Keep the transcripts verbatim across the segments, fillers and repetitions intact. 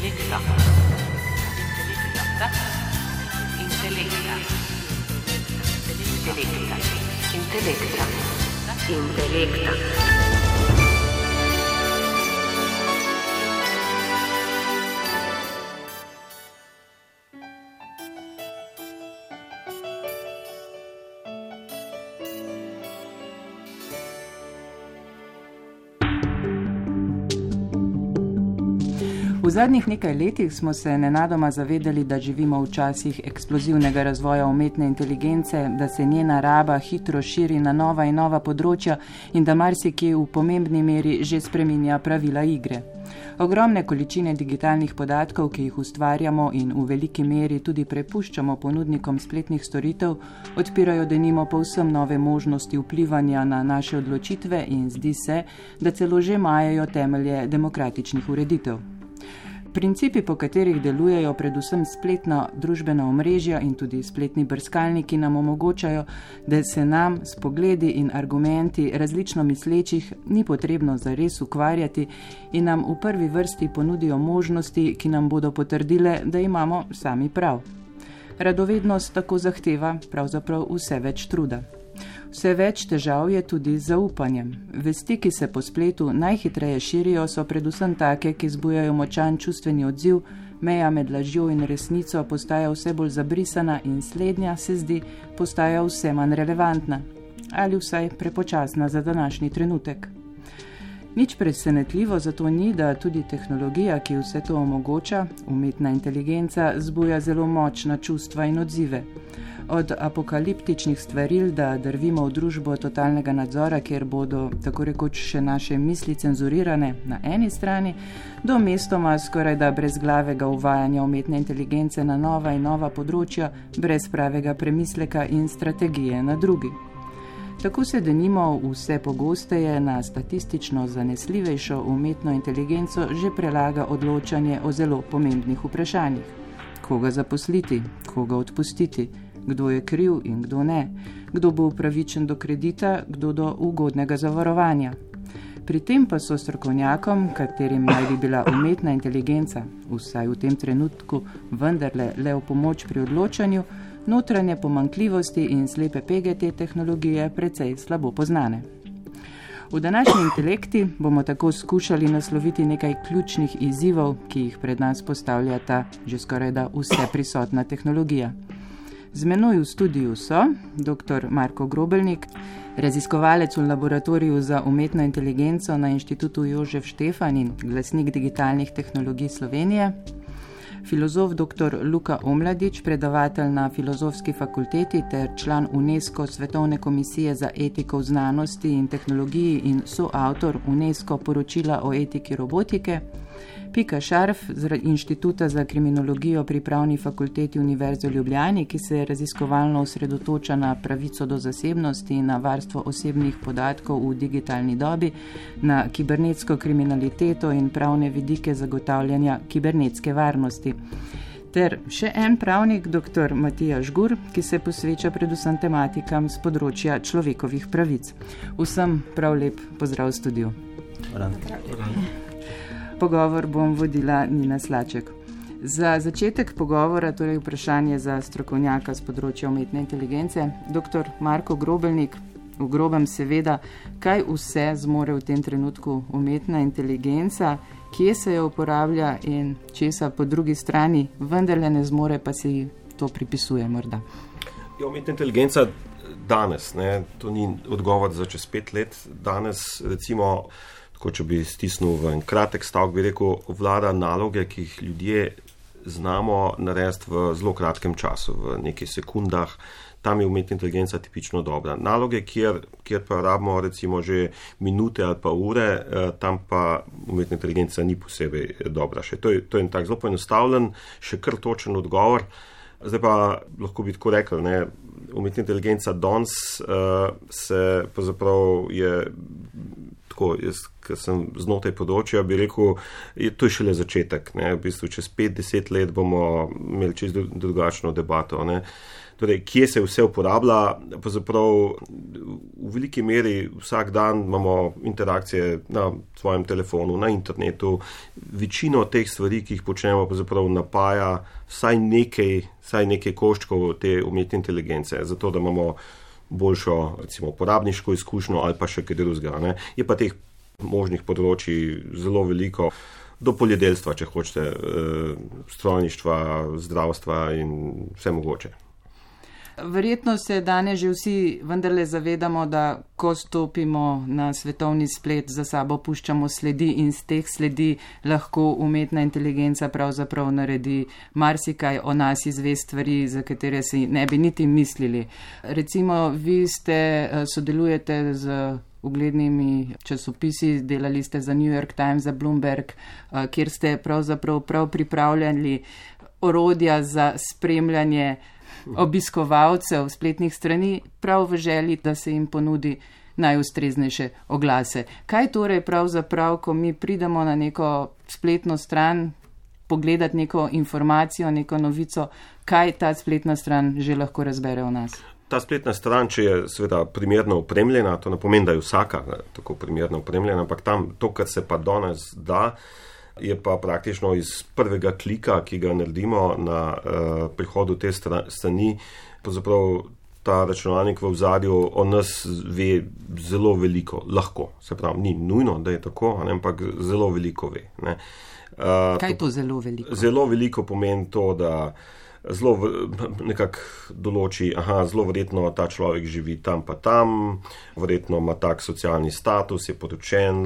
Intelekta. Intelekta. Intelekta. Intelekta. V zadnjih nekaj letih smo se nenadoma zavedali, da živimo v časih eksplozivnega razvoja umetne inteligence, da se njena raba hitro širi na nova in nova področja in da marsikje v pomembni meri že spreminja pravila igre. Ogromne količine digitalnih podatkov, ki jih ustvarjamo in v veliki meri tudi prepuščamo ponudnikom spletnih storitev, odpirajo denimo povsem nove možnosti vplivanja na naše odločitve in zdi se, da celo že majajo temelje demokratičnih ureditev. Principi, po katerih delujejo predvsem spletna družbena omrežja in tudi spletni brskalniki, nam omogočajo, da se nam s pogledi in argumenti različno mislečih ni potrebno zares ukvarjati in nam v prvi vrsti ponudijo možnosti, ki nam bodo potrdile, da imamo sami prav. Radovednost tako zahteva pravzaprav vse več truda. Vse več težav je tudi z zaupanjem. Vesti, ki se po spletu najhitreje širijo, so predvsem take, ki zbujajo močan čustveni odziv, meja med lažjo in resnico postaja vse bolj zabrisana in slednja, se zdi, postaja vse manj relevantna ali vsaj prepočasna za današnji trenutek. Nič presenetljivo zato ni, da tudi tehnologija, ki vse to omogoča, umetna inteligenca, zbuja zelo močna čustva in odzive. Od apokaliptičnih stvaril, da drvimo v družbo totalnega nadzora, kjer bodo tako rekoč še naše misli cenzurirane na eni strani, do mestoma skoraj da brezglavega uvajanja umetne inteligence na nova in nova področja, brez pravega premisleka in strategije na drugi. Tako se denimo vse pogosteje na statistično zanesljivejšo umetno inteligenco že prelaga odločanje o zelo pomembnih vprašanjih. Koga zaposliti, koga odpustiti, kdo je kriv in kdo ne, kdo bo upravičen do kredita, kdo do ugodnega zavarovanja. Pri tem pa so strokovnjakom, katerim naj bi bila umetna inteligenca, vsaj v tem trenutku vendarle le v pomoč pri odločanju, notranje pomanjkljivosti in slepe pege te tehnologije precej slabo poznane. V današnji intelekti bomo tako skušali nasloviti nekaj ključnih izzivov, ki jih pred nas postavlja ta že skorajda vse prisotna tehnologija. Z menoj v studiu so dr. Marko Grobelnik, raziskovalec v laboratoriju za umetno inteligenco na Inštitutu Jožef Štefan in glasnik digitalnih tehnologij Slovenije, filozof dr. Luka Omladič, predavatelj na Filozofski fakulteti ter član UNESCO Svetovne komisije za etiko v znanosti in tehnologiji in soavtor UNESCO poročila o etiki robotike, Pika Šarf z Inštituta za kriminologijo pri Pravni fakulteti Univerze v Ljubljani, ki se raziskovalno osredotoča na pravico do zasebnosti in na varstvo osebnih podatkov v digitalni dobi, na kibernetsko kriminaliteto in pravne vidike zagotavljanja kibernetske varnosti. Ter še en pravnik, dr. Matija Žgur, ki se posveča predvsem tematikam z področja človekovih pravic. Vsem prav lep pozdrav v studiu. Pogovor bom vodila Nina Slaček. Za začetek pogovora, torej vprašanje za strokovnjaka z področja umetne inteligence, dr. Marko Grobelnik, v grobem seveda, kaj vse zmore v tem trenutku umetna inteligenca, kje se jo uporablja in česa po drugi strani vendarle ne zmore, pa si to pripisuje morda. Ja, umetna inteligenca danes, ne, to ni odgovor za čez pet let, danes recimo, tako če bi stisnil v en kratek stavek, bi rekel, vlada naloge, ki jih ljudje znamo narediti v zelo kratkem času, v nekaj sekundah. Tam je umetna inteligenca tipično dobra. Naloge, kjer, kjer pa rabimo recimo že minute ali pa ure, tam pa umetna inteligenca ni posebej dobra. Še to je, to je en tak zelo poenostavljen, še kar točen odgovor. Zdaj pa lahko bi tako rekel, ne, umetna inteligenca danes uh, se pravzaprav je tako, jaz, ker sem znotraj področja, bi rekel, je, to je šele začetek. Ne, v bistvu čez pet deset let bomo imeli čisto drugačno debato. Ne. torej, kje se vse uporablja. Pravzaprav v veliki meri vsak dan imamo interakcije na svojem telefonu, na internetu. Večino teh stvari, ki jih počnemo, pravzaprav napaja vsaj nekaj, vsaj nekaj koščkov te umetne inteligence, zato da imamo boljšo, recimo, uporabniško izkušnjo ali pa še kaj drugega, ne. Je pa teh možnih področji zelo veliko, do poljedelstva, če hočete, strojništva, zdravstva in vse mogoče. Verjetno se danes že vsi vendarle zavedamo, da ko stopimo na svetovni splet, za sabo puščamo sledi in z teh sledi lahko umetna inteligenca pravzaprav naredi marsikaj o nas, izve stvari, za katere si ne bi niti mislili. Recimo, vi ste, sodelujete z uglednimi časopisi, delali ste za New York Times, za Bloomberg, kjer ste pravzaprav prav pripravljali orodja za spremljanje obiskovalcev spletnih strani, prav v želji, da se jim ponudi najustreznejše oglase. Kaj torej pravzaprav, ko mi pridemo na neko spletno stran, pogledati neko informacijo, neko novico, kaj ta spletna stran že lahko razbere o nas? Ta spletna stran, če je seveda primerno opremljena, to ne pomeni, da je vsaka tako primerno opremljena, ampak tam to, kar se pa danes da, je pa praktično iz prvega klika, ki ga naredimo na uh, prihodu te strani, pravzaprav ta računalnik v ozadju o nas ve zelo veliko, lahko. Se pravi, ni nujno, da je tako, ampak zelo veliko ve. Ne. Uh, Kaj to zelo veliko? Zelo veliko pomeni to, da zelo nekako določi, aha, zelo verjetno ta človek živi tam pa tam, verjetno ima tak socialni status, je poročen,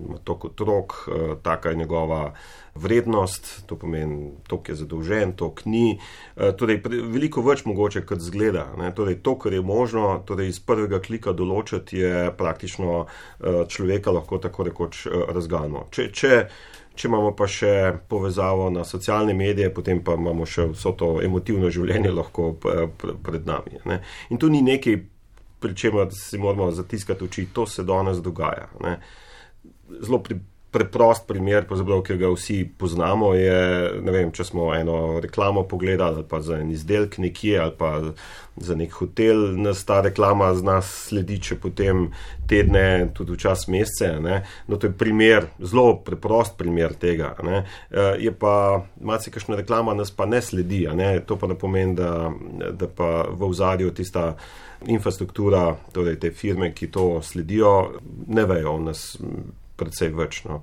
ima toliko otrok, taka je njegova vrednost, to pomeni, toliko je zadolžen, toliko ni. Torej, veliko več mogoče, kot zgleda. Ne? Torej, to, kar je možno, torej iz prvega klika določiti, je praktično človeka lahko tako rekoč razgalno. Če, če Če imamo pa še povezavo na socialne medije, potem pa imamo še vso to emotivno življenje lahko pred nami. Ne. In tu ni nekaj, pri čemer si moramo zatiskati oči, to se danes dogaja. Ne. Zelo pri, preprost primer, ki ga vsi poznamo, je, ne vem, če smo eno reklamo pogledali, ali pa za en izdelek nekje, ali pa za nek hotel, nas ta reklama z nas sledi, če potem tedne, tudi včasih mesece, ne. No, to je primer, zelo preprost primer tega, ne. Je pa, malce kakšna reklama nas pa ne sledi, ne. To pa ne pomeni, da, da pa v ozadju tista infrastruktura, torej te firme, ki to sledijo, ne vejo o nas predvsej več. No.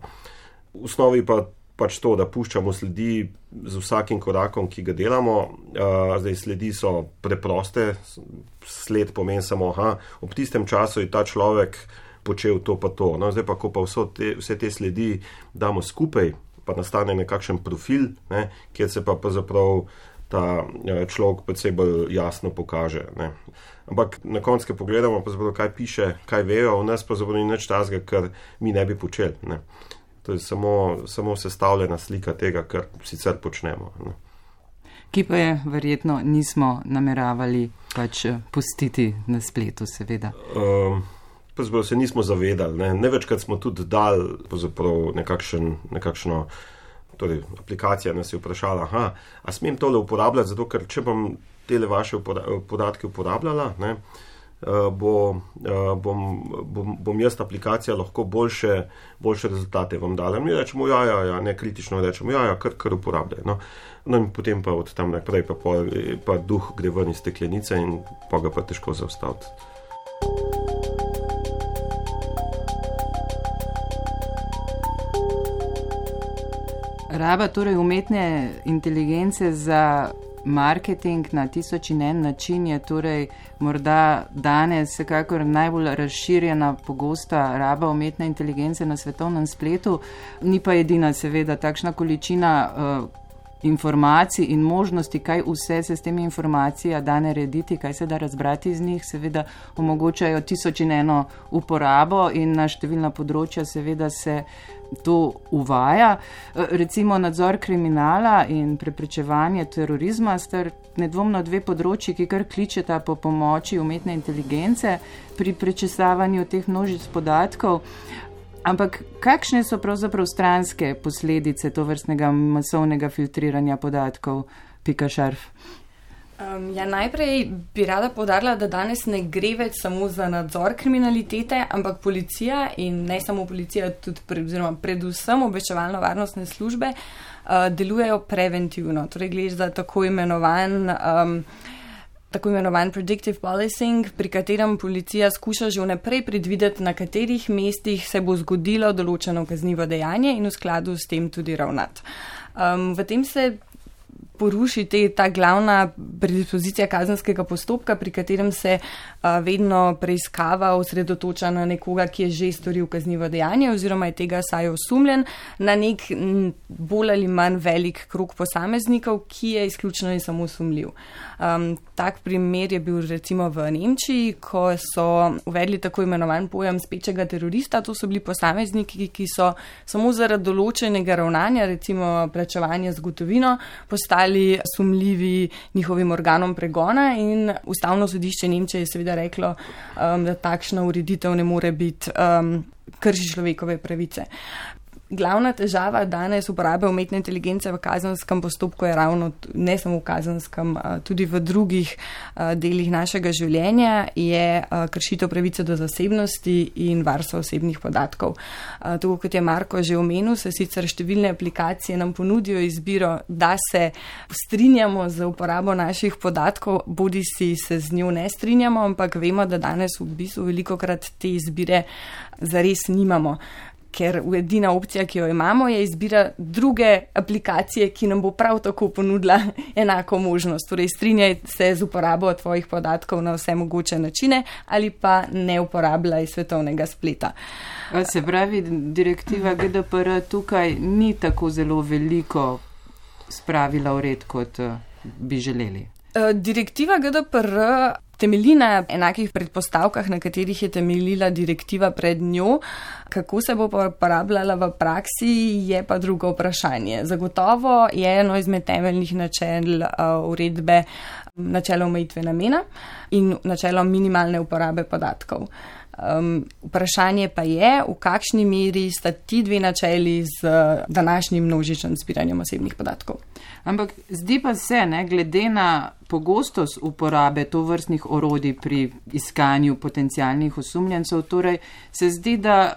V osnovi pa pač to, da puščamo sledi z vsakim korakom, ki ga delamo. Uh, zdaj sledi so preproste, sled pomeni samo, aha, ob tistem času je ta človek počel to pa to. No, zdaj pa, ko pa vso te, vse te sledi damo skupaj, pa nastane nekakšen profil, ne, kjer se pa pravzaprav ta človek predvsej bolj jasno pokaže. Ne. Ampak na koncu, ko pogledamo, kaj piše, kaj vejo o nas, pa ni nič tazga, kar mi ne bi počeli. Ne. To je samo, samo sestavljena slika tega, kar sicer počnemo. Ne. Ki pa je verjetno nismo nameravali pač pustiti na spletu, seveda. Um, pravzaprav se nismo zavedali. Ne, ne večkrat smo tudi dali nekakšen, nekakšno, torej aplikacija nas je vprašala, aha, a smem tole uporabljati, zato ker če bom tele vaše podatke uporabljala, ne, bo, bom, bom, bom jaz aplikacija lahko boljše, boljše rezultate vam dala. Mi rečemo, ja, ja, ja, ne kritično rečemo, ja, ja, kar, kar uporabljaj. No. No in potem pa od tam naprej pa, pa, pa duh gre ven iz steklenice in pa ga pa težko zaustaviti. Raba torej umetne inteligence za marketing na tisoč in en način je torej morda danes vsekakor najbolj razširjena, pogosta raba umetne inteligence na svetovnem spletu. Ni pa edina, seveda, takšna količina uh, informacij in možnosti, kaj vse se s temi informacijami da narediti, kaj se da razbrati iz njih, seveda omogočajo tisoč in eno uporabo in na številna področja seveda se to uvaja. Recimo nadzor kriminala in preprečevanje terorizma sta nedvomno dve področji, ki kar kličeta po pomoči umetne inteligence pri prečesavanju teh množic podatkov. Ampak kakšne so pravzaprav stranske posledice tovrstnega masovnega filtriranja podatkov, Pika Šarf? Um, ja, najprej bi rada poudarila, da danes ne gre več samo za nadzor kriminalitete, ampak policija in ne samo policija, tudi pre, oziroma predvsem obveščevalno-varnostne službe uh, delujejo preventivno. Torej gre za tako imenovan, um, tako imenovan predictive policing, pri katerem policija skuša že vnaprej predvideti, na katerih mestih se bo zgodilo določeno kaznivo dejanje in v skladu s tem tudi ravnati. Um, v tem se poruši te, ta glavna predispozicija kazenskega postopka, pri katerem se a, vedno preiskava osredotoča na nekoga, ki je že storil kaznivo dejanje oziroma je tega saj osumljen, na nek m, bolj ali manj velik krog posameznikov, ki je izključno in samo sumljiv. Um, tak primer je bil recimo v Nemčiji, ko so uvedli tako imenovan pojem spečega terorista. To so bili posamezniki, ki so samo zaradi določenega ravnanja, recimo plačevanja z gotovino, postali sumljivi njihovim organom pregona in Ustavno sodišče Nemčije je seveda reklo, um, da takšna ureditev ne more biti um, krši človekove pravice. Glavna težava danes uporabe umetne inteligence v kazenskem postopku je ravno, ne samo v kazenskem, tudi v drugih delih našega življenja, je kršitev pravice do zasebnosti in varstva osebnih podatkov. Tako kot je Marko že omenil, se sicer številne aplikacije nam ponudijo izbiro, da se strinjamo z uporabo naših podatkov, bodi si se z njo ne strinjamo, ampak vemo, da danes v bistvu velikokrat te izbire zares nimamo. Ker edina opcija, ki jo imamo, je izbira druge aplikacije, ki nam bo prav tako ponudila enako možnost. Torej, strinjaj se z uporabo tvojih podatkov na vse mogoče načine ali pa ne uporabljaj svetovnega spleta. Se pravi, direktiva G D P R tukaj ni tako zelo veliko spravila v red, kot bi želeli. Direktiva G D P R temelji na enakih predpostavkah, na katerih je temeljila direktiva pred njo. Kako se bo uporabljala v praksi, je pa drugo vprašanje. Zagotovo je eno izmed temeljnih načel uredbe načelo omejitve namena in načelo minimalne uporabe podatkov. Um, vprašanje pa je, v kakšni meri sta ti dve načeli z današnjim množičnim zbiranjem osebnih podatkov. Ampak zdi pa se, ne, glede na pogostost uporabe tovrstnih orodij pri iskanju potencialnih osumljencev, torej se zdi, da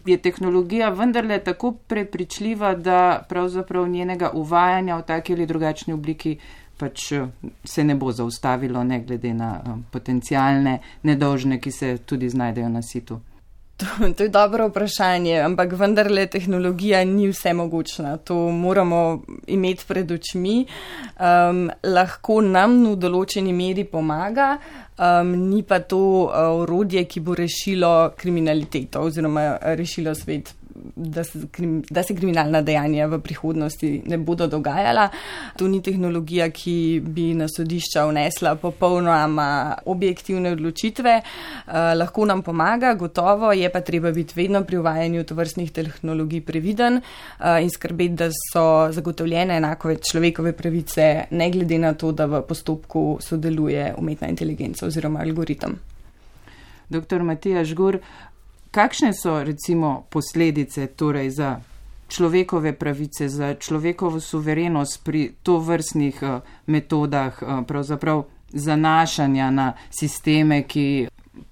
je tehnologija vendarle tako prepričljiva, da pravzaprav njenega uvajanja v taki ali drugačni obliki pač se ne bo zaustavilo, ne glede na potencialne nedolžne, ki se tudi znajdejo na situ. To, to je dobro vprašanje, ampak vendarle tehnologija ni vsemogočna. To moramo imeti pred očmi. Um, lahko nam v določeni meri pomaga, um, ni pa to uh, orodje, ki bo rešilo kriminaliteto oziroma rešilo svet, da se, da se kriminalna dejanja v prihodnosti ne bodo dogajala. To ni tehnologija, ki bi na sodišča vnesla popolnoma objektivne odločitve. Eh, lahko nam pomaga, gotovo, je pa treba biti vedno pri uvajanju tovrstnih tehnologij previden eh, in skrbeti, da so zagotovljene enako človekove pravice, ne glede na to, da v postopku sodeluje umetna inteligenca oziroma algoritem. Doktor Matija Žgur, kakšne so recimo posledice torej za človekove pravice, za človekovo suverenost pri tovrstnih uh, metodah uh, pravzaprav zanašanja na sisteme, ki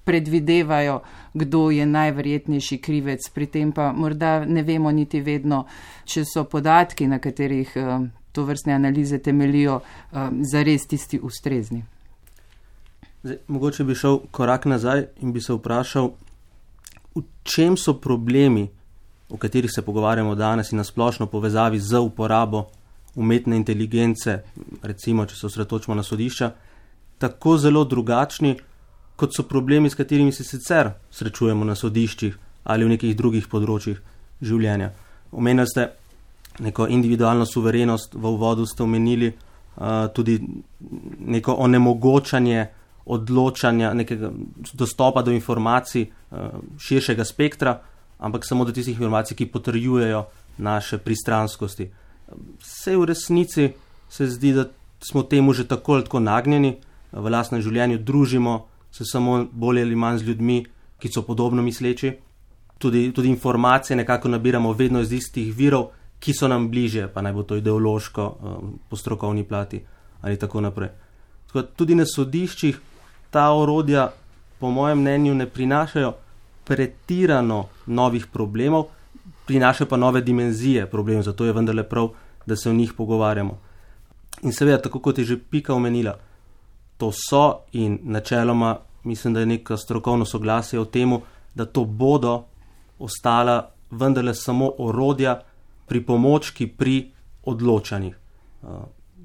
predvidevajo, kdo je najverjetnejši krivec, pri tem pa morda ne vemo niti vedno, če so podatki, na katerih uh, tovrstne analize temelijo, uh, zares tisti ustrezni. Zdaj, mogoče bi šel korak nazaj in bi se vprašal, v čem so problemi, o katerih se pogovarjamo danes in na splošno povezavi z uporabo umetne inteligence, recimo, če se osredotočimo na sodišča, tako zelo drugačni, kot so problemi, s katerimi se sicer srečujemo na sodiščih ali v nekih drugih področjih življenja. Omenili ste neko individualno suverenost, v uvodu ste omenili uh, tudi neko onemogočanje odločanja, nekega dostopa do informacij uh, širšega spektra, ampak samo do tistih informacij, ki potrjujejo naše pristranskosti. Vse v resnici se zdi, da smo temu že tako ali tako nagnjeni, v lastnem življenju družimo se samo bolj ali manj z ljudmi, ki so podobno misleči. Tudi, tudi informacije nekako nabiramo vedno iz istih virov, ki so nam bližje, pa naj bo to ideološko, uh, po strokovni plati ali tako naprej. Tudi na sodiščih ta orodja, po mojem mnenju, ne prinašajo pretirano novih problemov, prinašajo pa nove dimenzije problemov, zato je vendarle prav, da se o njih pogovarjamo. In seveda, tako kot je že Pika omenila, to so in načeloma mislim, da je neka strokovno soglasje o temu, da to bodo ostala vendarle samo orodja, pripomočki pri odločanjih.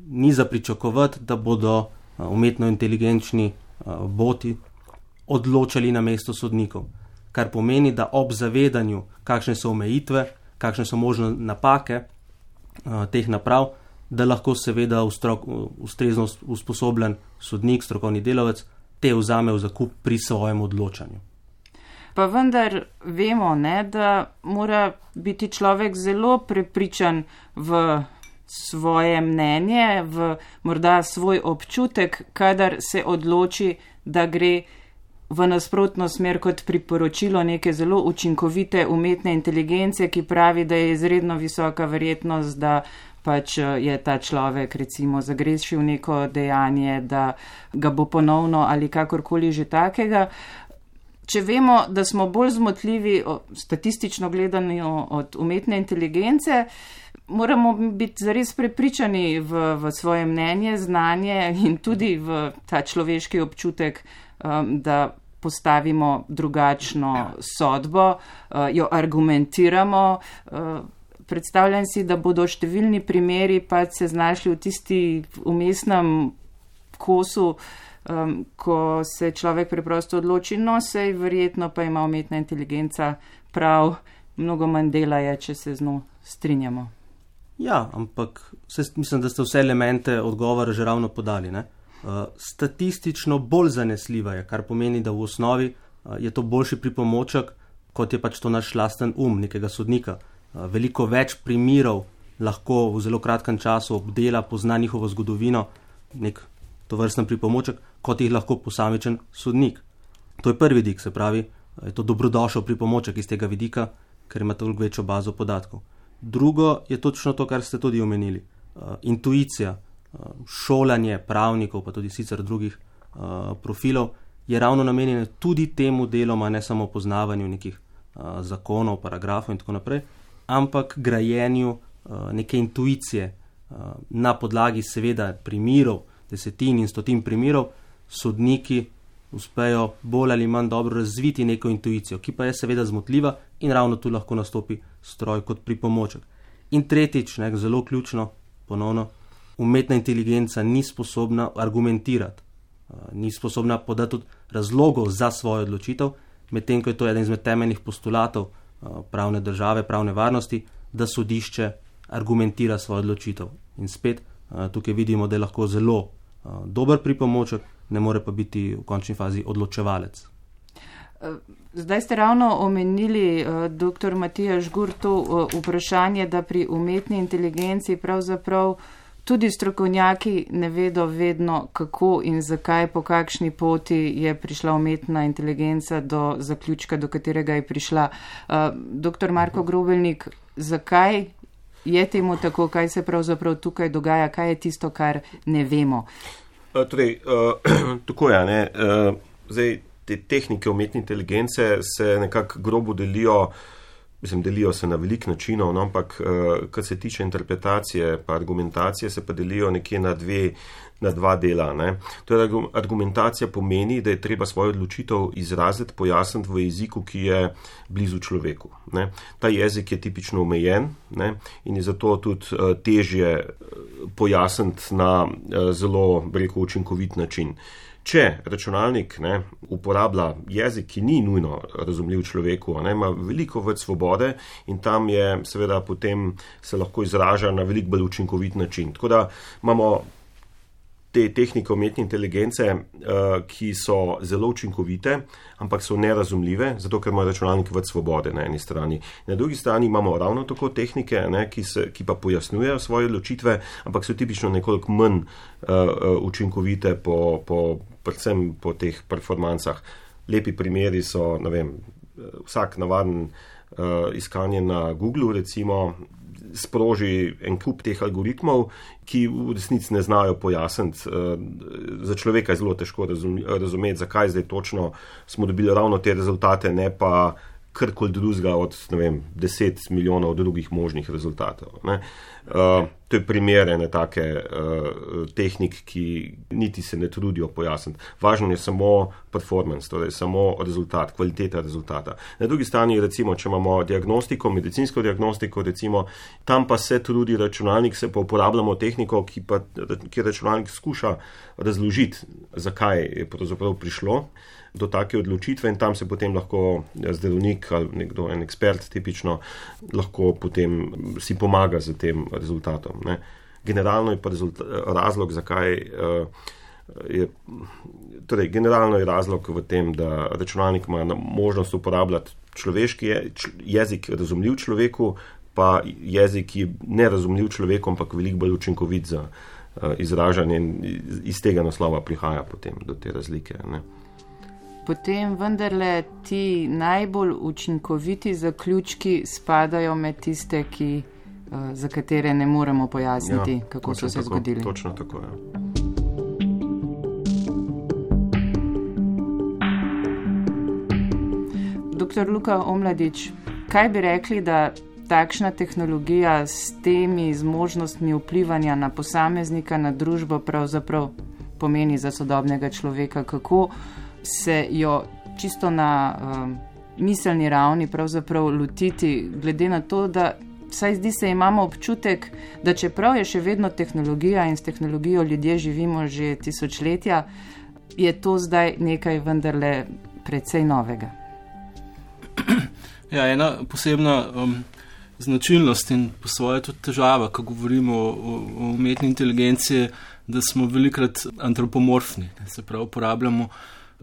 Ni za pričakovati, da bodo umetno inteligenčni boti odločali na mesto sodnikov, kar pomeni, da ob zavedanju, kakšne so omejitve, kakšne so možne napake teh naprav, da lahko seveda ustrezno usposobljen sodnik, strokovni delavec, te vzame v zakup pri svojem odločanju. Pa vendar vemo, ne, da mora biti človek zelo prepričan v svoje mnenje, v morda svoj občutek, kadar se odloči, da gre v nasprotno smer kot priporočilo neke zelo učinkovite umetne inteligence, ki pravi, da je izredno visoka verjetnost, da pač je ta človek recimo zagrešil neko dejanje, da ga bo ponovno ali kakorkoli že takega. Če vemo, da smo bolj zmotljivi statistično gledano od umetne inteligence, moramo biti zares prepričani v, v svoje mnenje, znanje in tudi v ta človeški občutek, um, da postavimo drugačno sodbo, uh, jo argumentiramo. Uh, predstavljam si, da bodo številni primeri pa se znašli v tisti umestnem kosu, Um, ko se človek preprosto odloči, no sej verjetno pa ima umetna inteligenca prav, mnogo manj dela je, če se z njo strinjamo. Ja, ampak vse, mislim, da ste vse elemente odgovora že ravno podali. Ne? Uh, statistično bolj zanesljiva je, kar pomeni, da v osnovi uh, je to boljši pripomoček, kot je pač to naš lasten um nekega sodnika. Uh, veliko več primerov lahko v zelo kratkem času obdela, pozna njihovo zgodovino, nek to vrsten pripomoček, kot jih lahko posamičen sodnik. To je prvi dik, se pravi, je to dobrodošel pripomoček iz tega vidika, ker ima toliko večjo bazo podatkov. Drugo je točno to, kar ste tudi omenili. Uh, intuicija, uh, šolanje pravnikov, pa tudi sicer drugih uh, profilov, je ravno namenjeno tudi temu deloma, ne samo poznavanju nekih uh, zakonov, paragrafov in tako naprej, ampak grajenju uh, neke intuicije uh, na podlagi seveda primerov, desetin in stotin primerov, sodniki uspejo bolj ali manj dobro razviti neko intuicijo, ki pa je seveda zmotljiva in ravno tu lahko nastopi stroj kot pripomoček. In tretjič, ne, zelo ključno, ponovno, umetna inteligenca ni sposobna argumentirati, ni sposobna podati tudi razlogov za svojo odločitev, medtem ko je to eden izmed temeljnih postulatov pravne države, pravne varnosti, da sodišče argumentira svojo odločitev. In spet tukaj vidimo, da je lahko zelo dober pripomoček, ne more pa biti v končni fazi odločevalec. Zdaj ste ravno omenili, doktor Matija Žgur, to vprašanje, da pri umetni inteligenci pravzaprav tudi strokovnjaki ne vedo vedno, kako in zakaj, po kakšni poti je prišla umetna inteligenca do zaključka, do katerega je prišla. Doktor Marko Grobelnik, zakaj je temu tako, kaj se pravzaprav tukaj dogaja, kaj je tisto, kar ne vemo? Uh, torej, uh, tako je, ne. Uh, zdaj, te tehnike umetne inteligence se nekako grobo delijo, mislim, delijo se na velik načinov, no, ampak uh, kar se tiče interpretacije pa argumentacije, se pa delijo nekje na dve, na dva dela, ne. Torej, argumentacija pomeni, da je treba svojo odločitev izraziti, pojasniti v jeziku, ki je blizu človeku, ne. Ta jezik je tipično omejen, ne, in je zato tudi uh, težje pojasniti na uh, zelo, bi rekel, učinkovit način. Če računalnik, ne, uporablja jezik, ki ni nujno razumljiv človeku, ne, ima veliko več svobode in tam je seveda potem se lahko izraža na veliko bolj učinkovit način. Tako da imamo te tehnike umetne inteligence, uh, ki so zelo učinkovite, ampak so nerazumljive, zato ker ima računalnik več svobode na eni strani. Na drugi strani imamo ravno tako tehnike, ne, ki, se, ki pa pojasnjujejo svoje odločitve, ampak so tipično nekoliko manj uh, učinkovite po, po, predvsem po teh performancah. Lepi primeri so, ne vem, vsak navaden uh, iskanje na Googlu, recimo, sproži en kup teh algoritmov, ki v resnici ne znajo pojasniti. Za človeka je zelo težko razumeti, zakaj zdaj točno smo dobili ravno te rezultate, ne pa karkoli drugega od, ne vem, deset milijonov drugih možnih rezultatov. Ne. Uh, to je primer ene take uh, tehnik, ki niti se ne trudijo pojasniti. Važno je samo performance, torej samo rezultat, kvaliteta rezultata. Na drugi strani, recimo, če imamo diagnostiko, medicinsko diagnostiko, recimo, tam pa se trudi računalnik, se pa uporabljamo tehniko, ki pa ki računalnik skuša razložiti, zakaj je pravzaprav prišlo do take odločitve in tam se potem lahko zdravnik ali nekdo, en ekspert tipično, lahko potem si pomaga z tem rezultatom. Ne. Generalno je pa razlog, zakaj uh, je, torej generalno je razlog v tem, da računalnik ima možnost uporabljati človeški je, jezik razumljiv človeku, pa jezik, ki je nerazumljiv človeku, ampak veliko bolj učinkovit za uh, izražanje in iz tega naslova prihaja potem do te razlike. Ne. Potem vendarle ti najbolj učinkoviti zaključki spadajo med tiste, ki, uh, za katere ne moremo pojasniti, ja, kako so se tako, zgodili. Točno tako, ja. Doktor Luka Omladič, kaj bi rekli, da takšna tehnologija s temi zmožnostmi vplivanja na posameznika, na družbo pravzaprav pomeni za sodobnega človeka, kako se jo čisto na um, miselni ravni pravzaprav lotiti, glede na to, da vsaj zdi se imamo občutek, da čeprav je še vedno tehnologija in s tehnologijo ljudje živimo že tisočletja, je to zdaj nekaj vendarle precej novega. Ja, ena posebna um, značilnost in po svoje tudi težava, ko govorimo o, o umetni inteligenci, da smo velikrat antropomorfni, se pravi uporabljamo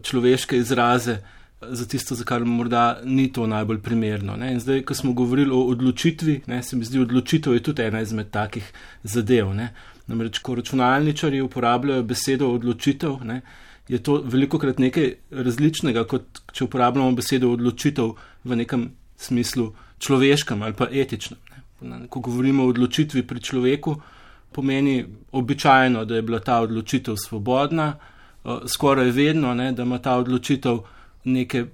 človeške izraze za tisto, za kar morda ni to najbolj primerno. Ne. In zdaj, ko smo govorili o odločitvi, ne, se mi zdi, odločitev je tudi ena izmed takih zadev. Ne. Namreč, ko računalničarji uporabljajo besedo odločitev, ne, je to velikokrat nekaj različnega, kot če uporabljamo besedo odločitev v nekem smislu človeškem ali pa etičnem. Ne. Ko govorimo o odločitvi pri človeku, pomeni običajno, da je bila ta odločitev svobodna, skoraj vedno, ne, da ima ta odločitev neke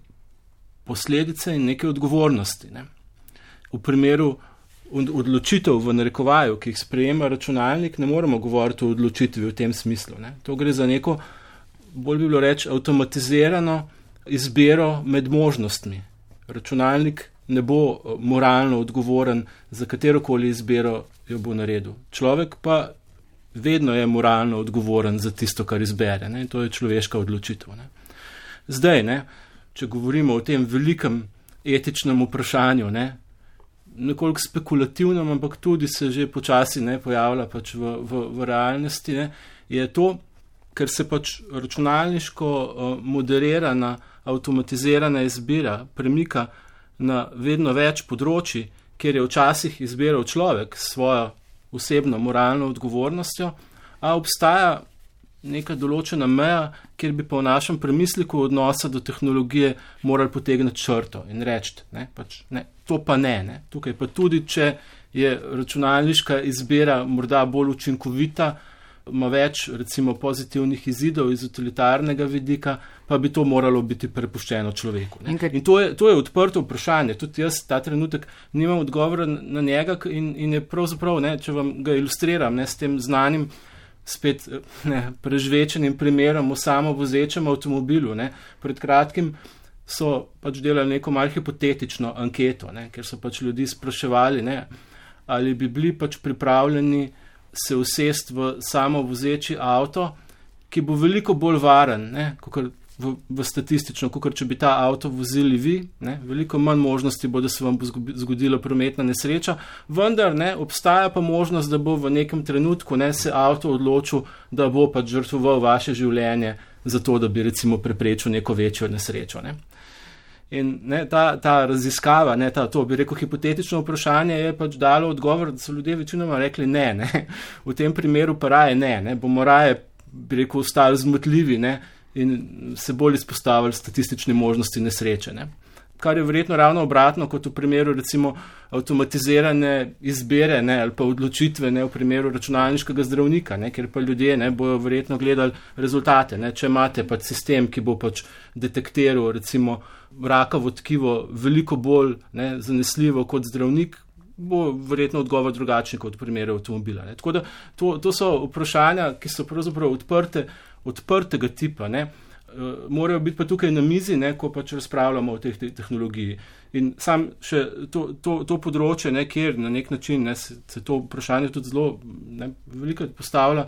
posledice in neke odgovornosti. Ne. V primeru odločitev v narekovaju, ki jih sprejema računalnik, ne moremo govoriti o odločitvi v tem smislu. Ne. To gre za neko, bolj bi bilo reči, avtomatizirano izbiro med možnostmi. Računalnik ne bo moralno odgovoren za katerokoli izbiro jo bo naredil. Človek pa vedno je moralno odgovoren za tisto, kar izbere. Ne? To je človeška odločitev. Ne? Zdaj, ne, če govorimo o tem velikem etičnem vprašanju, ne, nekoliko spekulativnem, ampak tudi se že počasi ne pojavlja pač v, v, v realnosti, ne, je to, ker se pač računalniško uh, moderirana, avtomatizirana izbira premika na vedno več področji, kjer je včasih izbiral človek svojo osebno moralno odgovornostjo, a obstaja neka določena meja, kjer bi pa v našem premisliku odnosa do tehnologije morali potegniti črto in reči, ne, pač, ne, to pa ne, ne. Tukaj pa tudi, če je računalniška izbira morda bolj učinkovita, ima več recimo pozitivnih izidov iz utilitarnega vidika, pa bi to moralo biti prepuščeno človeku. Ne. In to je, to je odprto vprašanje. Tudi jaz ta trenutek nimam odgovora na njega in, in je pravzaprav, ne, če vam ga ilustriram, ne, s tem znanim spet ne, prežvečenim primerom o samovozečem avtomobilu. Ne. Pred kratkim so pač delali neko malo hipotetično anketo, ne, ker so pač ljudi spraševali, ne, ali bi bili pač pripravljeni se usest v samovozeči avto, ki bo veliko bolj varen, ne, kakor v, v statistično, kakor če bi ta avto vozili vi, ne, veliko manj možnosti bo, da se vam bo zgodila prometna nesreča, vendar ne, obstaja pa možnost, da bo v nekem trenutku ne, se avto odločil, da bo pač žrtvoval vaše življenje za to, da bi recimo preprečil neko večjo nesrečo. Ne. In ne, ta, ta raziskava, ne, ta, to bi rekel hipotetično vprašanje, je pač dalo odgovor, da so ljudje večinoma rekli ne, ne. V tem primeru pa raje ne, ne. Bomo raje, bi rekel, ostali zmotljivi, ne, in se bolj izpostavili statistične možnosti nesreče. Ne. kar je verjetno ravno obratno kot v primeru recimo avtomatizirane izbire, ne, ali pa odločitve, ne, v primeru računalniškega zdravnika, ne, ker pa ljudje, ne, bojo verjetno gledali rezultate, ne, če imate pač sistem, ki bo pač detektiral recimo rakavo tkivo veliko bolj, ne, zanesljivo kot zdravnik, bo verjetno odgovor drugačen kot v primeru avtomobila, ne. Tako da to, to so vprašanja, ki so pravzaprav odprte, odprtega tipa, ne. Morajo biti pa tukaj na mizi, ne, ko pač razpravljamo o teh te tehnologiji. In sam še to, to, to področje, ne, kjer na nek način, ne, se, se to vprašanje tudi zelo, ne, veliko postavlja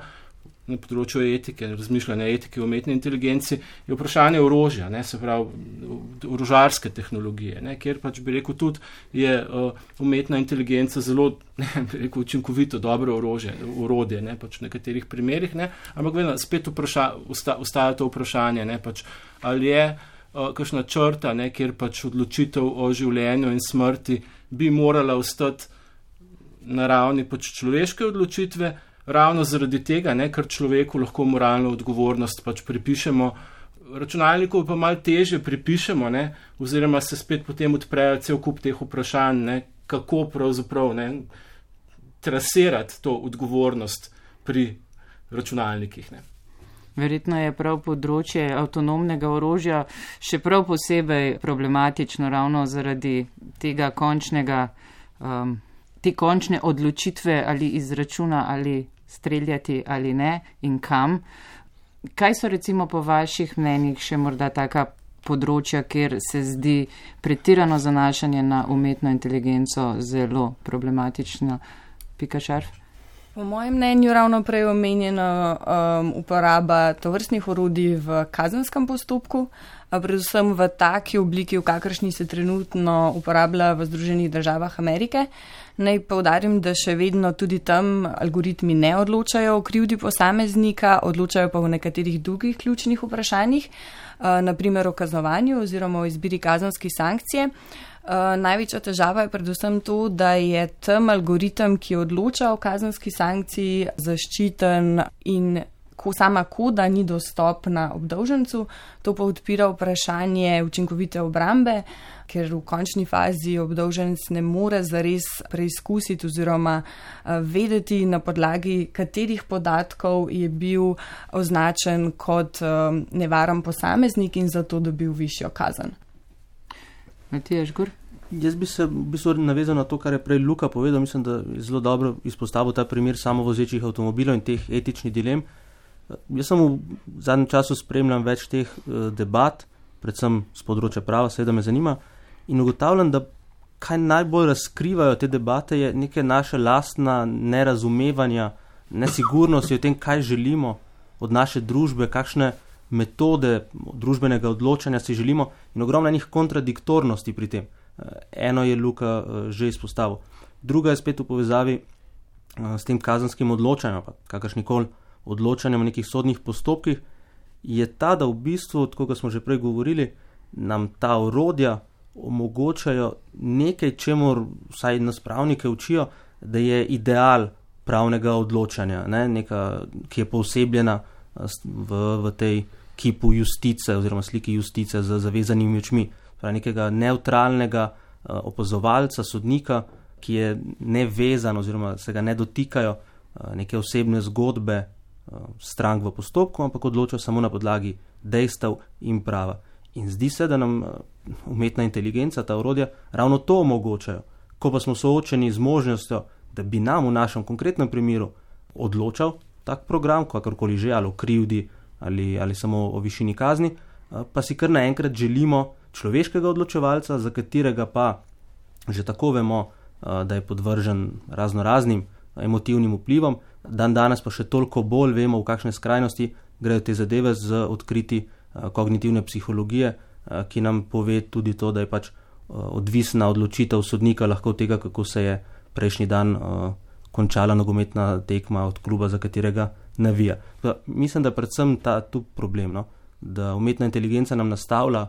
na področju etike, razmišljanja etike, umetne inteligence, je vprašanje orožja, ne, se pravi orožarske tehnologije, ne, kjer pač bi rekel tudi je uh, umetna inteligenca zelo, ne, bi rekel, učinkovito, dobro orožje, orodje, ne, pač v nekaterih primerih, ne, ampak vedno spet vpraša, usta, ustaja to vprašanje, ne, pač ali je uh, kakšna črta, ne, kjer pač odločitev o življenju in smrti bi morala ostati na ravni pač človeške odločitve, ravno zaradi tega, ne, ker človeku lahko moralno odgovornost pač pripišemo, računalniku pa malo težje pripišemo, ne, oziroma se spet potem odprejo cel kup teh vprašanj, ne, kako pravzaprav, ne, trasirati to odgovornost pri računalnikih, ne. Verjetno je prav področje avtonomnega orožja še prav posebej problematično ravno zaradi tega končnega, um, te končne odločitve ali izračuna ali streljati ali ne in kam. Kaj so recimo po vaših mnenjih še morda taka področja, kjer se zdi pretirano zanašanje na umetno inteligenco zelo problematično? Pika Šarf? Po mojem mnenju ravno prej omenjena um, uporaba tovrstnih orodij v kazenskem postopku, a predvsem v taki obliki, v kakršni se trenutno uporablja v Združenih državah Amerike. Naj poudarim, da še vedno tudi tam algoritmi ne odločajo o krivdi posameznika, odločajo pa v nekaterih drugih ključnih vprašanjih, uh, naprimer o kaznovanju oziroma o izbiri kazenske sankcije. Uh, največja težava je predvsem to, da je tam algoritem, ki odloča o kazenski sankciji, zaščiten in ko sama koda ni dostopna obdolžencu. To pa odpira vprašanje učinkovite obrambe, ker v končni fazi obdolženec ne more zares preizkusiti oziroma uh, vedeti, na podlagi katerih podatkov je bil označen kot uh, nevaren posameznik in zato dobil višjo kazen. Matija Žgur? Jaz bi se v bistvu navezal na to, kar je prej Luka povedal. Mislim, da je zelo dobro izpostavil ta primer samovozečih avtomobilov in teh etičnih dilem. Jaz sem v zadnjem času spremljam več teh debat, predvsem z področja prava, seveda me zanima, in ugotavljam, da kaj najbolj razkrivajo te debate je neke naše lastna nerazumevanja, nesigurnosti o tem, kaj želimo od naše družbe, kakšne metode družbenega odločanja si želimo in ogromno njih kontradiktornosti pri tem. Eno je Luka že izpostavil. Druga je spet v povezavi s tem kazenskim odločanjem, pa kakršnikoli odločanjem v nekih sodnih postopkih, je ta, da v bistvu, tako kot smo že prej govorili, nam ta orodja omogočajo nekaj, čemur vsaj nas pravnike učijo, da je ideal pravnega odločanja, ne? Neka, ki je poosebljena v, v tej kipu justice oziroma sliki justice z zavezanimi očmi. Pravi nekega neutralnega uh, opazovalca, sodnika, ki je nevezan oziroma se ga ne dotikajo uh, neke osebne zgodbe uh, strank v postopku, ampak odločajo samo na podlagi dejstev in prava. In zdi se, da nam uh, umetna inteligenca, ta orodja, ravno to omogočajo. Ko pa smo soočeni z možnostjo, da bi nam v našem konkretnem primeru odločal tak program, kakorkoli že, ali o krivdi, ali, ali samo o višini kazni, uh, pa si kar naenkrat želimo človeškega odločevalca, za katerega pa že tako vemo, da je podvržen razno raznim emotivnim vplivom, dan danes pa še toliko bolj vemo, v kakšne skrajnosti grejo te zadeve z odkriti kognitivne psihologije, ki nam pove tudi to, da je pač odvisna odločitev sodnika lahko od tega, kako se je prejšnji dan končala nogometna tekma od kluba, za katerega navija. Da, mislim, da predvsem ta tu problem, no? Da umetna inteligenca nam nastavlja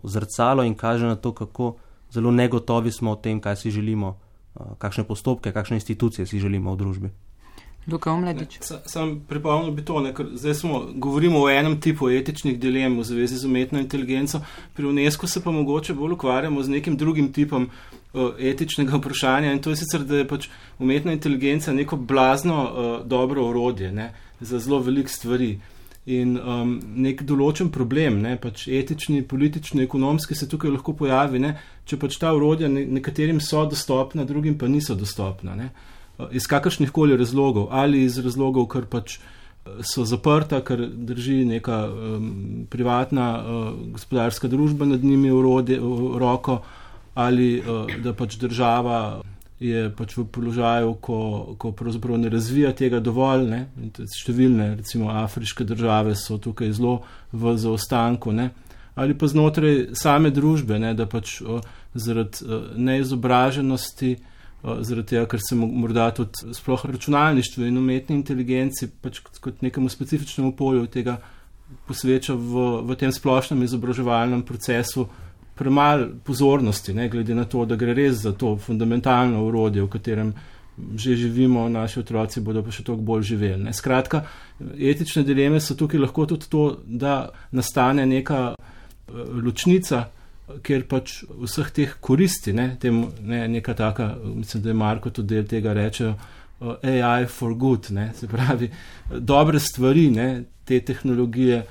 zrcalo in kaže na to, kako zelo negotovi smo o tem, kaj si želimo, kakšne postopke, kakšne institucije si želimo v družbi. Luka Omladič. Sam, sam pripomnil bi to, ne, ker zdaj smo, govorimo o enem tipu etičnih dilem v zvezi z umetno inteligenco, pri UNESCO se pa mogoče bolj ukvarjamo z nekim drugim tipom uh, etičnega vprašanja in to je sicer, da je pač umetna inteligenca neko blazno uh, dobro orodje, ne, za zelo veliko stvari. In um, nek določen problem, ne, pač etični, politični, ekonomski se tukaj lahko pojavi, ne, če pač ta orodja ne, nekaterim so dostopna, drugim pa niso dostopna, ne. Iz kakršnih koli razlogov, ali iz razlogov, ker pač so zaprta, ker drži neka um, privatna uh, gospodarska družba nad njimi urode, uh, roko, ali uh, da pač država je pač v položaju, ko, ko pravzaprav ne razvija tega dovolj, ne, številne, recimo afriške države so tukaj zelo v zaostanku, ne, ali pa znotraj same družbe, ne, da pač uh, zaradi uh, neizobraženosti, zaradi tega, ker se morda tudi sploh računalništvo in umetni inteligenci pač kot nekemu specifičnemu polju tega posveča v, v tem splošnem izobraževalnem procesu premalo pozornosti, ne, glede na to, da gre res za to fundamentalno orodje, v katerem že živimo, naši otroci bodo pa še toliko bolj živeli. Ne. Skratka, etične dileme so tukaj lahko tudi to, da nastane neka ločnica, ker pač vseh teh koristi, ne, tem, ne, neka taka, mislim, da je Marko tudi del tega rečejo, uh, A I for good, ne, se pravi, dobre stvari, ne, te tehnologije,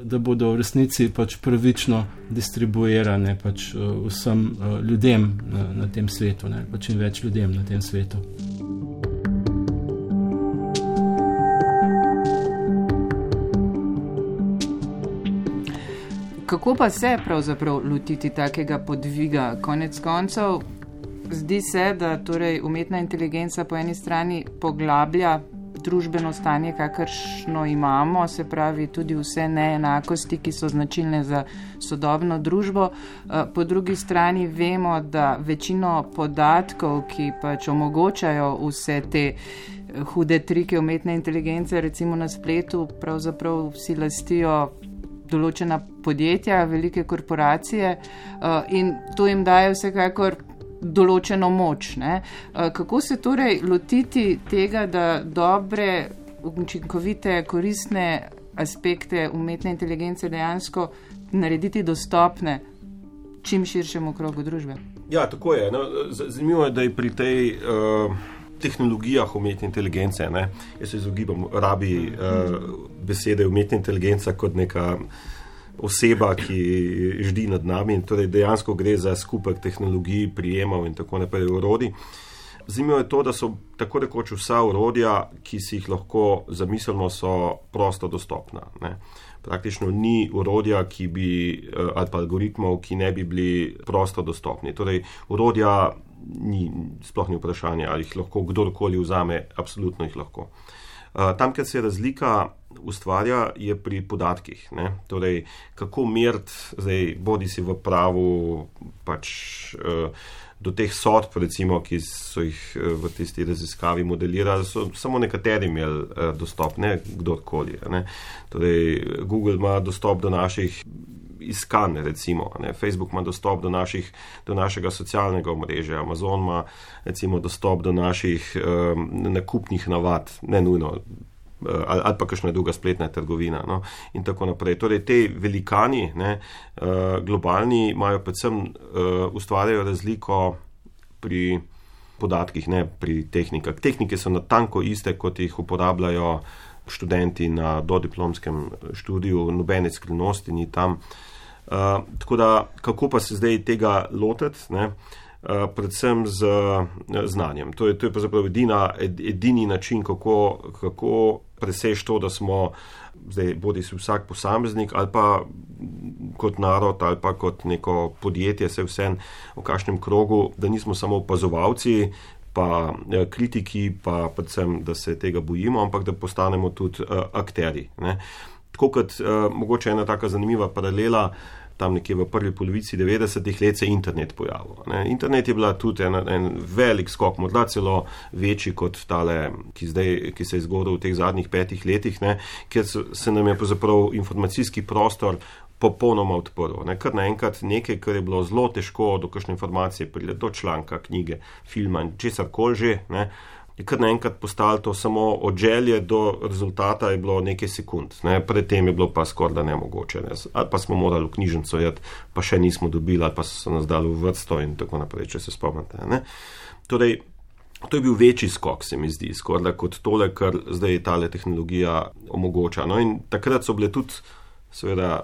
da bodo v resnici pač pravično distribuirane pač uh, vsem uh, ljudem na, na tem svetu, ne, pač in več ljudem na tem svetu. Kako pa se pravzaprav lotiti takega podviga? Konec koncev, zdi se, da torej umetna inteligenca po eni strani poglablja družbeno stanje, kakršno imamo, se pravi tudi vse neenakosti, ki so značilne za sodobno družbo. Po drugi strani vemo, da večino podatkov, ki pač omogočajo vse te hude trike umetne inteligence, recimo na spletu, pravzaprav vsi lastijo določena podjetja, velike korporacije in to jim daje vsekakor določeno moč. Ne? Kako se torej lotiti tega, da dobre, učinkovite, koristne aspekte umetne inteligence dejansko narediti dostopne čim širšemu krogu družbe? Ja, tako je. No, zanimivo je, da je pri tej uh... tehnologijah umetne inteligence, ne? Jaz se izogibam rabi uh, besede umetna inteligenca kot neka oseba, ki ždi nad nami, torej dejansko gre za skupek tehnologij, prijemov in tako naprej orodij. Zanimivo je to, da so tako rekoč vsa orodja, ki si jih lahko zamislimo, so prosto dostopna. Ne? Praktično ni orodja, ki bi, ali pa algoritmov, ki ne bi bili prosto dostopni. Torej, orodja ni, sploh ni vprašanje, ali jih lahko kdorkoli vzame, absolutno jih lahko. Tam, kjer se razlika ustvarja, je pri podatkih. Ne? Torej, kako meriti, zdaj, bodi si v pravu, pač do teh sodb, recimo, ki so jih v tisti raziskavi modelirali, so samo nekateri imeli dostop, ne kdorkoli. Ne? Torej, Google ima dostop do naših iskanj, recimo. Ne? Facebook ima dostop do, naših, do našega socialnega omrežja, Amazon ima recimo dostop do naših um, nakupnih navad, ne nujno, uh, ali, ali pa kakšna druga spletna trgovina, no? In tako naprej. Torej, te velikani, ne, uh, globalni, imajo predvsem uh, ustvarjajo razliko pri podatkih, ne pri tehnikah. Tehnike so natanko iste, kot jih uporabljajo študenti na dodiplomskem študiju, nobene skrivnosti ni tam. Uh, tako da, kako pa se zdaj tega lotiti, ne? Uh, predvsem z uh, znanjem. To je, to je pravzaprav edina, ed, edini način, kako, kako preseči to, da smo zdaj bodi si vsak posameznik ali pa kot narod ali pa kot neko podjetje, se vsem v kakšnem krogu, da nismo samo opazovalci, pa uh, kritiki, pa predvsem, da se tega bojimo, ampak da postanemo tudi uh, akteri. Ne? Tako kot uh, mogoče ena taka zanimiva paralela, tam nekje v prvi polovici devetdesetih let se je internet pojavil. Ne. Internet je bila tudi en, en velik skok, morda celo večji kot tale, ki, zdaj, ki se je zgodil v teh zadnjih petih letih, ne, kjer se nam je pravzaprav informacijski prostor popolnoma odprl. Ne. Kar naenkrat nekaj, kar je bilo zelo težko do kakšne informacije pride, do članka, knjige, filma in česar koli že, ne, je kar naenkrat postalo to samo od želje do rezultata je bilo nekaj sekund. Ne. Predtem je bilo pa skoraj da nemogoče. Ne. Ali pa smo morali v knjižnico jeti, pa še nismo dobili, ali pa so nas dali v vrsto in tako naprej, če se spomnite. Ne. Torej, to je bil večji skok, se mi zdi, skoraj da kot tole, kar zdaj tale tehnologija omogoča. No in takrat so bile tudi seveda,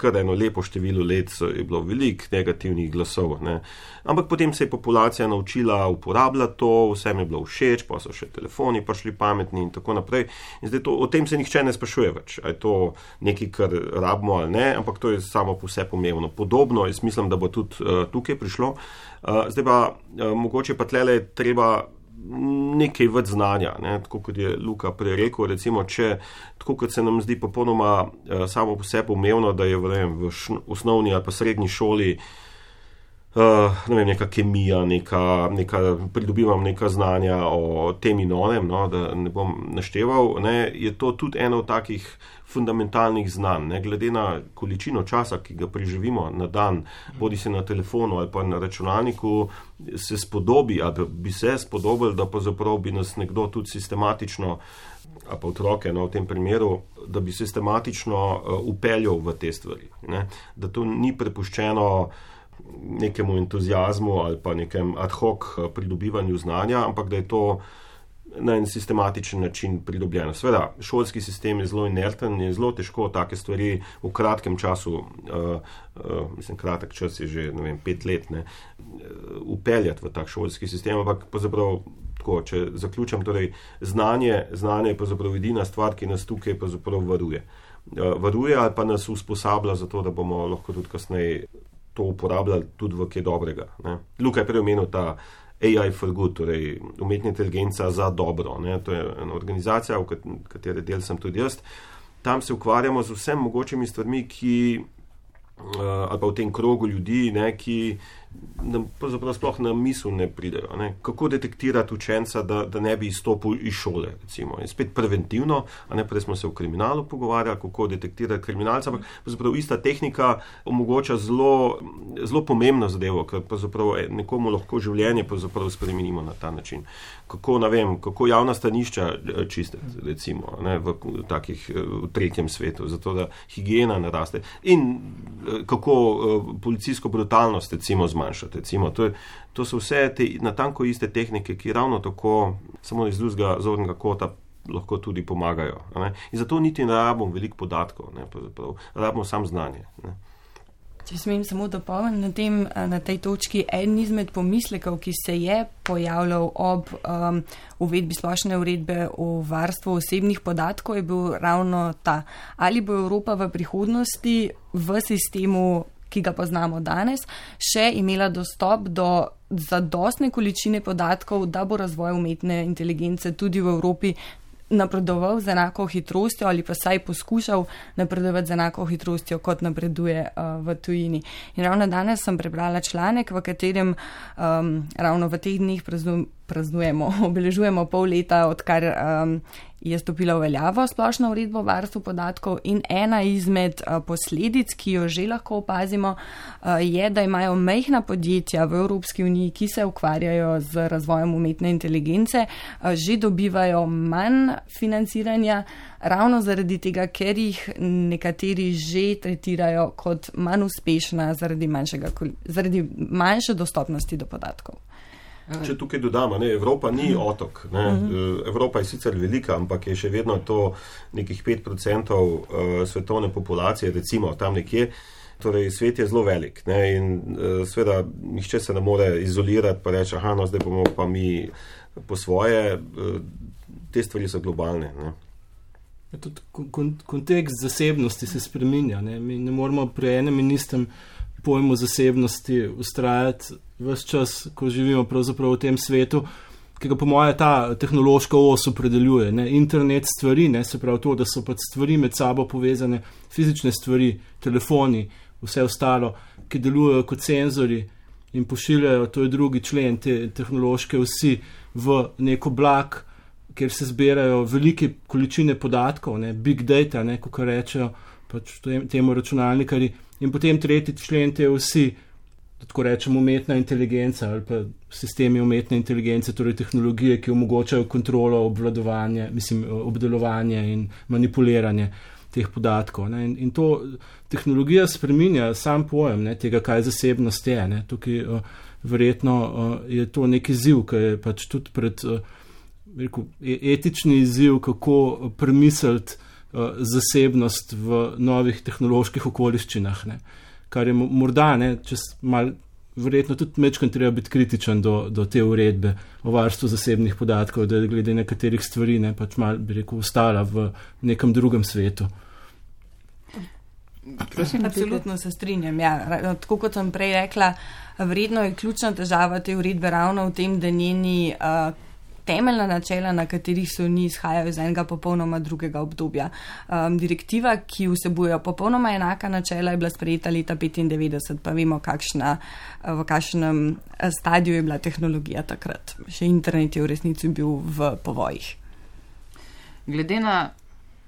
kar eno lepo število let je bilo veliko negativnih glasov. Ne. Ampak potem se je populacija naučila uporabljati to, vsem je bilo všeč, pa so še telefoni prišli pametni in tako naprej. In zdaj to, o tem se nihče ne sprašuje več, a je to nekaj, kar rabimo ali ne, ampak to je samo po vse pomembno. Podobno, jaz mislim, da bo tudi uh, tukaj prišlo. Uh, zdaj pa, uh, mogoče pa tlele treba nekaj več znanja, ne? Tako kot je Luka prej rekel, recimo, če, tako kot se nam zdi popolnoma uh, samo po sebi umevno, da je v, v š, osnovni ali pa srednji šoli uh, ne vem, neka kemija, neka, neka, pridobivam neka znanja o tem in onem, no, da ne bom našteval, ne? Je to tudi eno od takih fundamentalnih znanj, ne, glede na količino časa, ki ga preživimo na dan, bodi se na telefonu ali pa na računalniku, se spodobi, ali bi se spodobil, da pa zaprav bi nas nekdo tudi sistematično, ali pa otroke, no, v tem primeru, da bi sistematično uh, upeljal v te stvari, ne, da to ni prepuščeno nekemu entuzijazmu ali pa nekem ad hoc pridobivanju znanja, ampak da je to na en sistematičen način pridobljeno. Sveda, šolski sistem je zelo inerten, je zelo težko take stvari v kratkem času, uh, uh, mislim, kratek čas je že, ne vem, pet let, ne, upeljati v tak šolski sistem, ampak pravzaprav tako, če zaključam, torej znanje, znanje je pravzaprav edina stvar, ki nas tukaj pravzaprav varuje. Uh, varuje ali pa nas usposablja za to, da bomo lahko tudi kasneje to uporabljali tudi v kaj dobrega. Ne. Luka je prej omenil ta A I for good, torej umetna inteligenca za dobro. Ne? To je ena organizacija, v katere del sem tudi jaz. Tam se ukvarjamo z vsem mogočimi stvarmi, ki, uh, ali pa v tem krogu ljudi, ne, ki nam pravzaprav sploh na misel ne pridejo. Ne? Kako detektirati učenca, da, da ne bi izstopil iz šole, recimo. In spet preventivno, a ne, prej smo se o kriminalu pogovarjali, kako detektirati kriminalca, ampak pravzaprav ista tehnika omogoča zelo, zelo pomembno zadevo, ker pravzaprav nekomu lahko življenje pravzaprav spremenimo na ta način. Kako, ne vem, kako javna stanišča čistiti, recimo, ne, v takih, v tretjem svetu, zato da higiena naraste. In kako policijsko brutalnost, recimo, zmanjšati. Recimo, to, je, to so vse te natanko iste tehnike, ki ravno tako samo iz drugega zornega kota lahko tudi pomagajo. Ne? In zato niti ne rabimo veliko podatkov, ne? Rabimo samo znanje. Ne? Če smem samo dopolniti na tem, na tej točki, eden izmed pomislekov, ki se je pojavljal ob um, uvedbi splošne uredbe o varstvu osebnih podatkov, je bil ravno ta. Ali bo Evropa v prihodnosti v sistemu, ki ga poznamo danes, še imela dostop do zadostne količine podatkov, da bo razvoj umetne inteligence tudi v Evropi napredoval z enako hitrostjo ali pa saj poskušal napredovati z enako hitrostjo, kot napreduje uh, v tujini. In ravno danes sem prebrala članek, v katerem um, ravno v teh dneh praznujemo, obeležujemo pol leta, odkar um, je stopila v veljavo splošna uredba o varstvu podatkov, in ena izmed uh, posledic, ki jo že lahko opazimo, uh, je, da imajo majhna podjetja v Evropski uniji, ki se ukvarjajo z razvojem umetne inteligence, uh, že dobivajo manj financiranja, ravno zaradi tega, ker jih nekateri že tretirajo kot manj uspešna zaradi, zaradi manjše dostopnosti do podatkov. Če tukaj dodamo, ne, Evropa ni otok. Ne. Evropa je sicer velika, ampak je še vedno to nekih pet procentov uh, svetovne populacije, recimo tam nekje. Torej, svet je zelo velik, ne, in uh, seveda nihče se ne more izolirati pa reči, aha, no, zdaj bomo pa mi po svoje. Uh, te stvari so globalne. Ne. Tudi kontekst zasebnosti se spreminja. Ne. Mi ne moramo pri enem in istem pojmu zasebnosti ustrajati ves čas, ko živimo pravzaprav v tem svetu, ki ga po moje ta tehnološka os opredeljuje. Ne? Internet stvari, ne? Se pravi to, da so pač stvari med sabo povezane, fizične stvari, telefoni, vse ostalo, ki delujejo kot senzori in pošiljajo, to je drugi člen te tehnološke osi, v neko oblak, kjer se zbirajo velike količine podatkov, ne? Big data, ne? Kako rečejo pač temu računalnikari, in potem tretji člen te osi, tako rečemo, umetna inteligenca ali pa sistemi umetne inteligence, torej tehnologije, ki omogočajo kontrolo, obvladovanje, mislim, obdelovanje in manipuliranje teh podatkov. Ne. In, in to tehnologija spreminja sam pojem, ne, tega, kaj zasebnost je. Ne. Tukaj uh, verjetno uh, je to nek izziv, ki je pač tudi pred uh, rekel, etični izziv, kako premisliti uh, zasebnost v novih tehnoloških okoliščinah. Ne. Kar je morda, ne, čez mal, verjetno tudi mečkaj treba biti kritičen do, do te uredbe o varstvu zasebnih podatkov, da je glede nekaterih stvari, ne, pač mal, bi rekel, ostala v nekem drugem svetu. Prosim, absolutno se strinjam. Ja, tako kot sem prej rekla, verjetno je ključna težava te uredbe ravno v tem, da njeni uh, temeljna načela, na katerih so ni izhajajo iz enega popolnoma drugega obdobja. Um, direktiva, ki vsebuje popolnoma enaka načela, je bila sprejeta leta petindevetdeset, pa vemo, kakšna, v kakšnem stadiju je bila tehnologija takrat. Še internet je v resnici bil v povojih. Glede na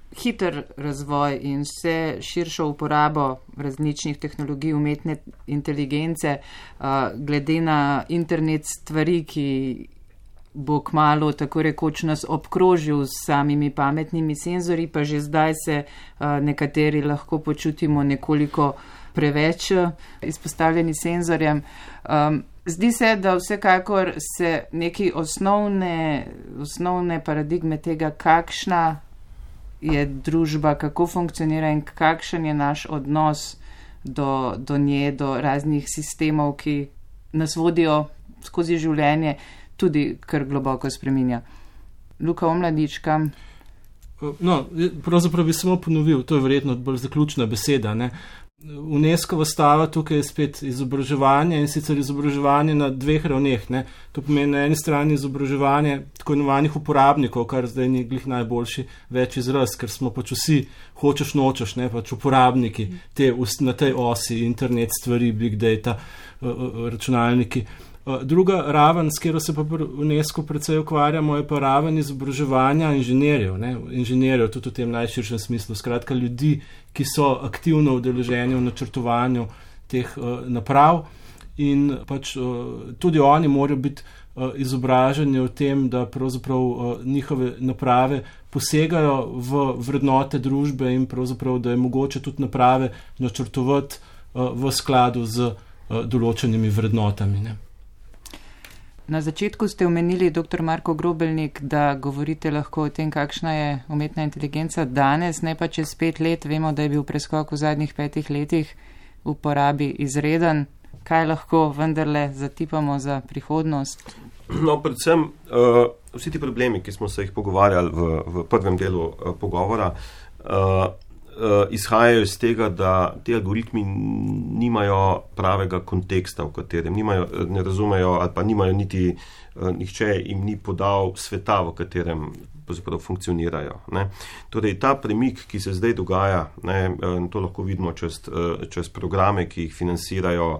hiter razvoj in vse širšo uporabo različnih tehnologij umetne inteligence, uh, glede na internet stvari, ki bo kmalu tako rekoč nas obkrožil s samimi pametnimi senzori, pa že zdaj se uh, nekateri lahko počutimo nekoliko preveč izpostavljeni senzorjem. Um, zdi se, da vsekakor se neki osnovne, osnovne paradigme tega, kakšna je družba, kako funkcionira in kakšen je naš odnos do, do nje, do raznih sistemov, ki nas vodijo skozi življenje, tudi kar globoko spreminja. Luka Omladič, kam? No, pravzaprav bi samo ponovil, to je verjetno bolj zaključna beseda. Ne? UNESCO stava tukaj je spet izobraževanje in sicer izobraževanje na dveh ravneh. Ne? To pomeni na eni strani izobraževanje tako imenovanih uporabnikov, kar zdaj ni glih najboljši več izraz, ker smo pač vsi hočeš nočeš, ne? Pač uporabniki te, na tej osi, internet stvari, big data, računalniki. Druga raven, s katero se pa UNESCO precej ukvarjamo, je pa raven izobraževanja inženirjev, ne? Inženirjev tudi v tem najširšem smislu, skratka ljudi, ki so aktivno udeleženi v načrtovanju teh uh, naprav in pač uh, tudi oni morajo biti uh, izobraženi o tem, da pravzaprav uh, njihove naprave posegajo v vrednote družbe in pravzaprav, da je mogoče tudi naprave načrtovati uh, v skladu z uh, določenimi vrednotami, ne? Na začetku ste omenili, doktor Marko Grobelnik, da govorite lahko o tem, kakšna je umetna inteligenca danes, ne pa čez pet let. Vemo, da je bil preskok v zadnjih petih letih v uporabi izreden. Kaj lahko vendarle zatipamo za prihodnost? No, predvsem uh, vsi ti problemi, ki smo se jih pogovarjali v, v prvem delu uh, pogovora, uh, uh, izhajajo iz tega, da ti algoritmi nimajo pravega konteksta, v katerem nimajo, ne razumejo ali pa nimajo niti uh, nihče jim ni podal sveta, v katerem funkcionirajo. Ne. Torej, ta premik, ki se zdaj dogaja, ne, to lahko vidimo čez, čez programe, ki jih financirajo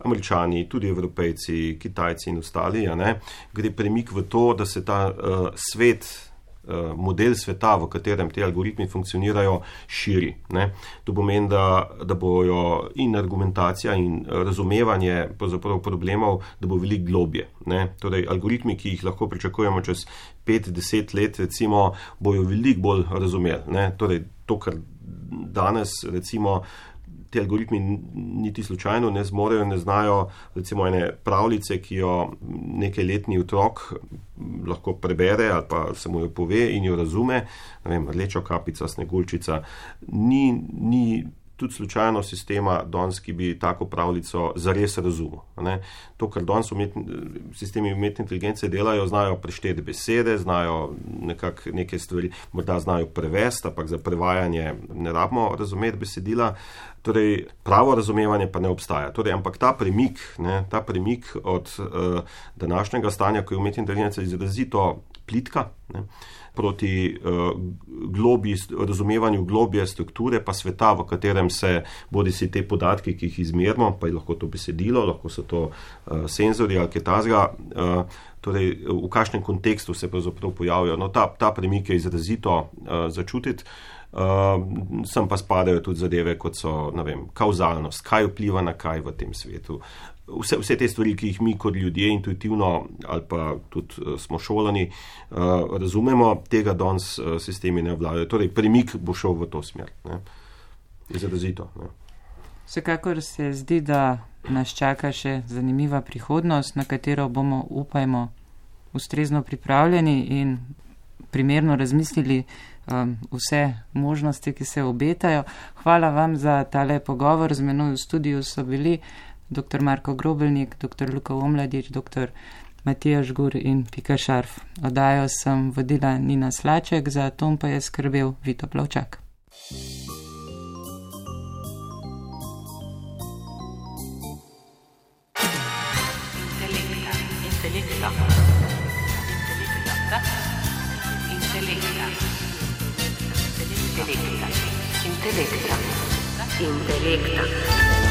Američani, tudi Evropejci, Kitajci in ostali, ja, ne, gre premik v to, da se ta uh, svet, uh, model sveta, v katerem te algoritmi funkcionirajo, širi. Ne. To pomeni, da, da bojo in argumentacija in razumevanje problemov, da bo veliko globje. Ne. Torej, algoritmi, ki jih lahko pričakujemo čez pet, deset let, recimo, bojo veliko bolj razumeli. Ne. Torej, to, kar danes, recimo, ti algoritmi niti slučajno ne zmorejo, ne znajo, recimo, ene pravljice, ki jo nekajletni otrok lahko prebere ali pa se mu jo pove in jo razume, ne vem, rdeča kapica, sneguljčica, ni, ni tudi slučajno sistema danes, ki bi tako pravljico zares razumel. Ne. To, kar danes umetni, sistemi umetne inteligence delajo, znajo prešteti besede, znajo nekak, neke stvari, morda znajo prevesti, ampak za prevajanje ne rabimo razumeti besedila. Torej, pravo razumevanje pa ne obstaja. Torej, ampak ta premik, ne, ta premik od uh, današnjega stanja, ko je umetna inteligenca izrazito plitka, ne, proti uh, globi, razumevanju globje strukture pa sveta, v katerem se bodi si te podatki, ki jih izmerimo, pa je lahko to besedilo, lahko so to uh, senzori ali kaj takega, uh, torej v kakšnem kontekstu se pravzaprav pojavijo. No, ta, ta premik je izrazito uh, začutiti. Uh, sem pa spadajo tudi zadeve, kot so, ne vem, kauzalnost, kaj vpliva na kaj v tem svetu. Vse, vse te stvari, ki jih mi kot ljudje intuitivno ali pa tudi uh, smo šolani, uh, razumemo, tega danes uh, sistemi ne vladajo. Torej, premik bo šel v to smer. Ne. Izrazito. Ne. Vsekakor se zdi, da nas čaka še zanimiva prihodnost, na katero bomo, upajmo, ustrezno pripravljeni in primerno razmislili um, vse možnosti, ki se obetajo. Hvala vam za tale pogovor. Z menoj v studiu so bili doktor Marko Grobelnik, doktor Luka Omladič, doktor Matija Žgur in Pika Šarf. Oddajo sem vodila Nina Slaček, za tom pa je skrbel Vito Plavčak. Intelekta. Intelekta. Intelekta. Intelekta. Intelekta.